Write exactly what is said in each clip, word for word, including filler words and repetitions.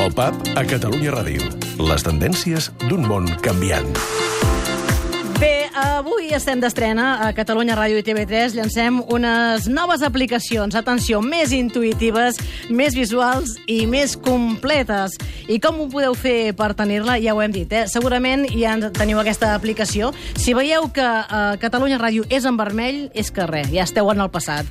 El Pub a Catalunya Ràdio. Les tendències d'un món canviant. Bé, avui estem d'estrena a Catalunya Ràdio i T V tres. Llancem unes noves aplicacions, atenció, més intuïtives, més visuals i més completes. I com ho podeu fer per tenir-la? Ja ho hem dit, eh? Segurament ja teniu aquesta aplicació. Si veieu que uh, Catalunya Ràdio és en vermell, és que res, ja esteu en el passat.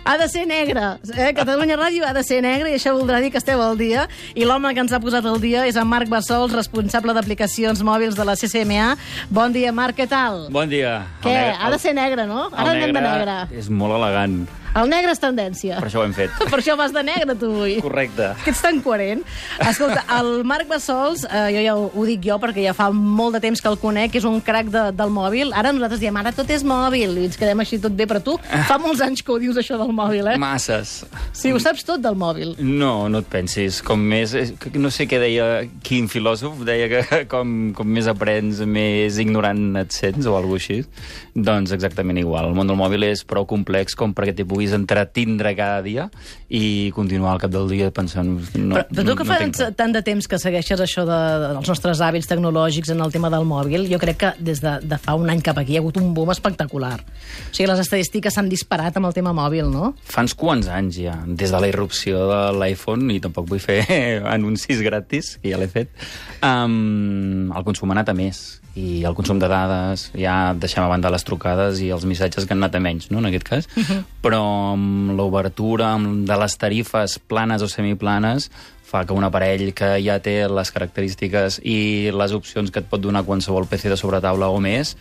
Ha de ser negre, eh? Catalunya Ràdio ha de ser negre i això voldrà dir que esteu al dia. I l'home que ens ha posat al dia és en Marc Bassols, responsable d'aplicacions mòbils de la C C M A. Bon dia, Marc, què tal? Bon dia. Què? Negre, ha de ser negre, no? Ara anem de negre. És molt elegant. El negre és tendència. Per això ho hem fet. Per això vas de negre, tu, avui. Correcte. Que ets tan coherent. Escolta, el Marc Bassols, eh, jo ja ho, ho dic jo perquè ja fa molt de temps que el conec, és un crac de, del mòbil. Ara nosaltres diem, ara tot és mòbil, i ens quedem així tot bé, però tu fa molts anys que ho dius, això del mòbil, eh? Masses. Sí, ho saps tot del mòbil. No, no et pensis. Com més... No sé què deia quin filòsof, deia que com, com més aprens, més ignorant et sents, o alguna cosa així. Doncs exactament igual. El món del mòbil és prou complex com perquè t'hi puguis entretindre cada dia i continuar al cap del dia pensant... No, però, però tu que no, fa no tant de temps que segueixes això de, dels nostres hàbits tecnològics en el tema del mòbil, jo crec que des de, de fa un any cap aquí hi ha hagut un boom espectacular. O sigui, les estadístiques s'han disparat amb el tema mòbil, no? Fa uns quants anys ja, des de la irrupció de l'iPhone, i tampoc vull fer anuncis gratis, que ja l'he fet, um, el consum ha anat a més. I el consum de dades, ja deixem a banda les trucades i els missatges que han anat a menys, no?, en aquest cas. Uh-huh. Però amb l'obertura de les tarifes planes o semiplanes fa que un aparell que ja té les característiques i les opcions que et pot donar qualsevol P C de sobretaula o més,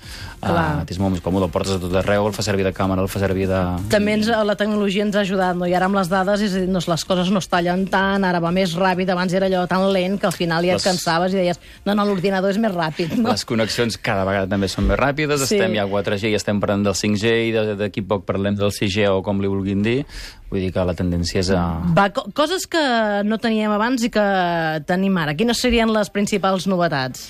uh, és molt més còmode, el portes a tot arreu, el fa servir de càmera, el fa servir de... També ens, la tecnologia ens ha ajudat, no? I ara amb les dades és a dir, no, les coses no es tallen tant, ara va més ràpid, abans era allò tan lent que al final ja et les... cansaves i deies, no, no, l'ordinador és més ràpid. No? Les connexions cada vegada també són més ràpides, sí. Estem ja a quatre G i estem parlant del cinc G i d'aquí poc parlem del sis G o com li vulguin dir. Vull dir que la tendència és a... Va, co coses que no teníem abans i que tenim ara. Quines serien les principals novetats?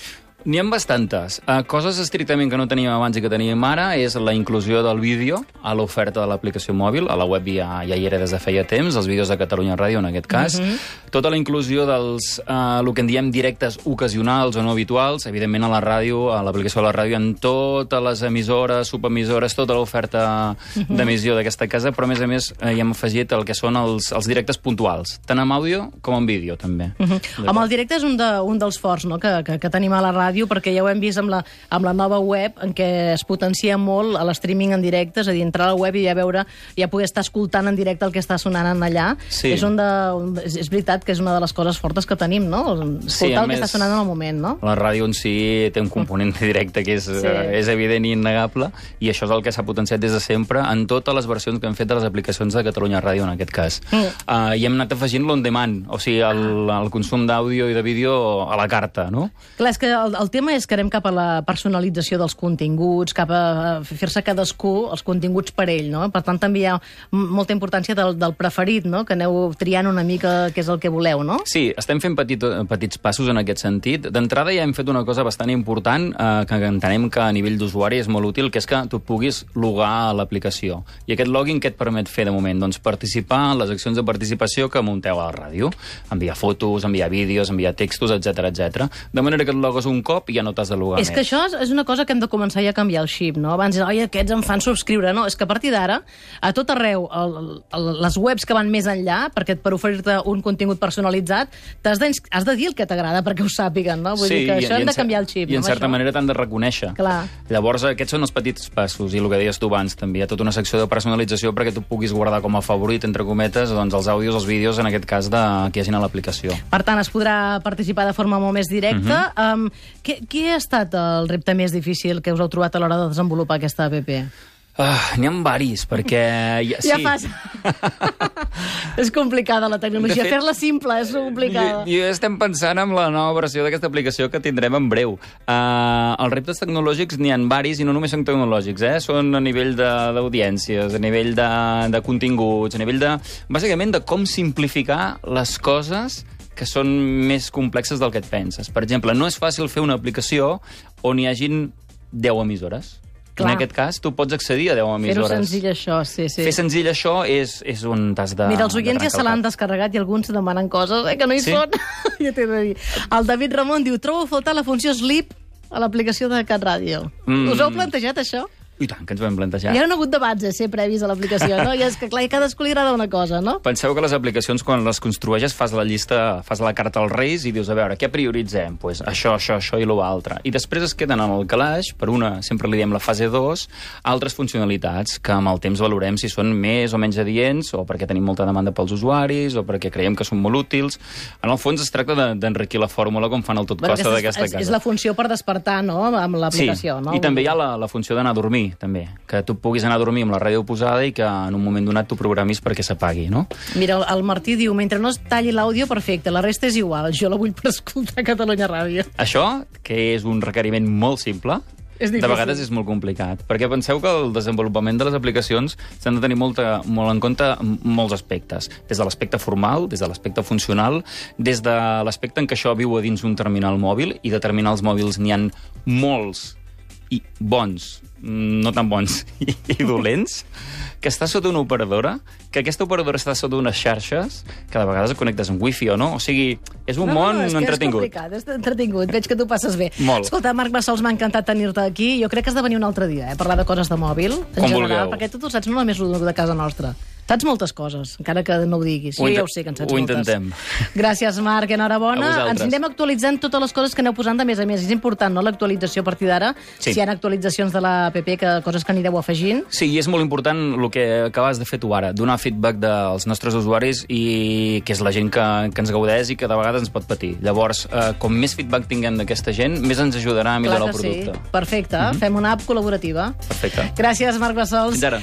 N'hi ha bastantes. Uh, coses estrictament que no teníem abans i que teníem ara és la inclusió del vídeo a l'oferta de l'aplicació mòbil. A la web ja, ja hi era des de feia temps, els vídeos de Catalunya Ràdio en aquest cas. Uh-huh. Tota la inclusió dels, uh, el que en diem directes ocasionals o no habituals, evidentment a la ràdio, a l'aplicació de la ràdio, en totes les emissores, subemissores, tota l'oferta uh-huh. d'emissió d'aquesta casa, però a més a més uh, hi hem afegit el que són els, els directes puntuals, tant en àudio com en vídeo també. Uh-huh. Home, el directe és un, de, un dels forts, no?, que, que, que tenim a la ràdio, perquè ja ho hem vist amb la, amb la nova web en què es potencia molt l'streaming en directe, és a dir, entrar a la web i ja veure, ja poder estar escoltant en directe el que està sonant en allà. Sí. És, un de, un, és veritat que és una de les coses fortes que tenim, no? Escoltar sí, el que està sonant en el moment, no? La ràdio en si té un component directe que és, sí. eh, és evident i innegable, i això és el que s'ha potenciat des de sempre en totes les versions que hem fet de les aplicacions de Catalunya Ràdio en aquest cas. Mm. Uh, I hem anat afegint l'on demand, o sigui, el, el consum d'àudio i de vídeo a la carta, no? Clar, és que el, el tema és que anem cap a la personalització dels continguts, cap a fer-se cadascú els continguts per ell, no? Per tant, també hi ha molta importància del, del preferit, no?, que aneu triant una mica què és el que voleu, no? Sí, estem fent petit, petits passos en aquest sentit. D'entrada ja hem fet una cosa bastant important, eh, que entenem que a nivell d'usuari és molt útil, que és que tu puguis logar a l'aplicació. I aquest login què et permet fer de moment? Doncs participar en les accions de participació que munteu a la ràdio. Enviar fotos, enviar vídeos, enviar textos, etcètera, etcètera. De manera que et logues un cop i ja no t'has de logar és més. Que això és una cosa que hem de començar ja a canviar el xip, no? Abans, oi, aquests em fan subscriure. No, és que a partir d'ara, a tot arreu, el, el, les webs que van més enllà, perquè per oferir-te un contingut personalitzat, has de, has de dir el que t'agrada perquè ho sàpiguen, no? Vull sí, dir que això hem de en, canviar el xip. I en no, certa això? manera t'han de reconèixer. Clar. Llavors, aquests són els petits passos, i el que deies tu abans també. Hi ha tota una secció de personalització perquè tu puguis guardar com a favorit, entre cometes, doncs, els àudios, els vídeos, en aquest cas, de, que hi hagin a l'aplicació. Per tant, es podrà participar de forma molt més directa. Uh-huh. um, què, què ha estat el repte més difícil que us heu trobat a l'hora de desenvolupar aquesta app? Uh, N'hi ha varis, perquè... Ja, sí. ja passa. És complicada la tecnologia. Fet, fer-la simple és complicada. Jo, jo estem pensant en la nova versió d'aquesta aplicació que tindrem en breu. Uh, els reptes tecnològics n'hi ha varis i no només són tecnològics, eh? Són a nivell d'audiències, a nivell de, de continguts, a nivell de... Bàsicament de com simplificar les coses que són més complexes del que et penses. Per exemple, no és fàcil fer una aplicació on hi hagin deu emissores. Clar. En aquest cas, tu pots accedir a deu emissores. Fer-ho senzill, això, sí, sí. Fer senzill això és, és on t'has de... Mira, els de oients ja trencar se el l'han cap. descarregat i alguns demanen coses eh, que no hi Sí? són. Ja t'he de dir. El David Ramon diu, trobo a faltar la funció Sleep a l'aplicació de Cat Ràdio. Mm. Us heu plantejat això? I tant, que ens ho vam plantejar. Hi ha hagut debats a ser previs a l'aplicació, no? I és que, clar, a cadascú li agrada una cosa, no? Penseu que les aplicacions, quan les construeixes, fas la llista, fas la carta als Reis i dius, a veure, què prioritzem? Pues això, això, això i l'altre. I després es queden en el calaix, per una, sempre li diem la fase dos, altres funcionalitats que amb el temps valorem si són més o menys adients, o perquè tenim molta demanda pels usuaris, o perquè creiem que són molt útils. En el fons es tracta de- d'enriquir la fórmula com fan el tot Bueno, costa aquesta d'aquesta és, casa. és la funció per despertar, no?, amb l'aplicació, sí. no? I també hi ha la, la funció d'anar a dormir, també. Que tu puguis anar a dormir amb la ràdio posada i que en un moment donat tu programis perquè s'apagui, no? Mira, el, el Martí diu, mentre no es talli l'àudio, perfecte, la resta és igual, jo la vull per escoltar Catalunya Ràdio. Això, que és un requeriment molt simple, És de difícil. vegades és molt complicat, perquè penseu que el desenvolupament de les aplicacions s'han de tenir molta, molt en compte molts aspectes, des de l'aspecte formal, des de l'aspecte funcional, des de l'aspecte en què això viu a dins un terminal mòbil, i de terminals mòbils n'hi ha molts i bons, no tan bons, i, i dolents, que està sota una operadora, que aquesta operadora està sota unes xarxes, que de vegades et connectes amb wifi o no. O sigui, és un no, món no, és que entretingut. És complicat, és entretingut. Veig que tu passes bé. Molt. Escolta, Marc Bassols, m'ha encantat tenir-te aquí. Jo crec que has de venir un altre dia, eh? Parlar de coses de mòbil, en Com general, vulgueu. perquè tu, tu saps no només el de casa nostra. Saps moltes coses, encara que no ho diguis. Ho Jo ja inte- ho sé, que en saps ho moltes. intentem. Gràcies, Marc, enhorabona. A vosaltres. Ens anirem actualitzant totes les coses que aneu posant de més a més. És important, no?, l'actualització a partir d'ara. Sí. Si hi ha actualitzacions de la app, que coses que anireu afegint. Sí, i és molt important el que acabes de fer tu ara, donar feedback dels nostres usuaris, i que és la gent que, que ens gaudeix i que de vegades ens pot patir. Llavors, eh, com més feedback tinguem d'aquesta gent, més ens ajudarà a millorar Clar el que sí. producte. Perfecte. Fem una app col·laborativa. Perfecte. Gràcies, Marc Bassols. Fins ara.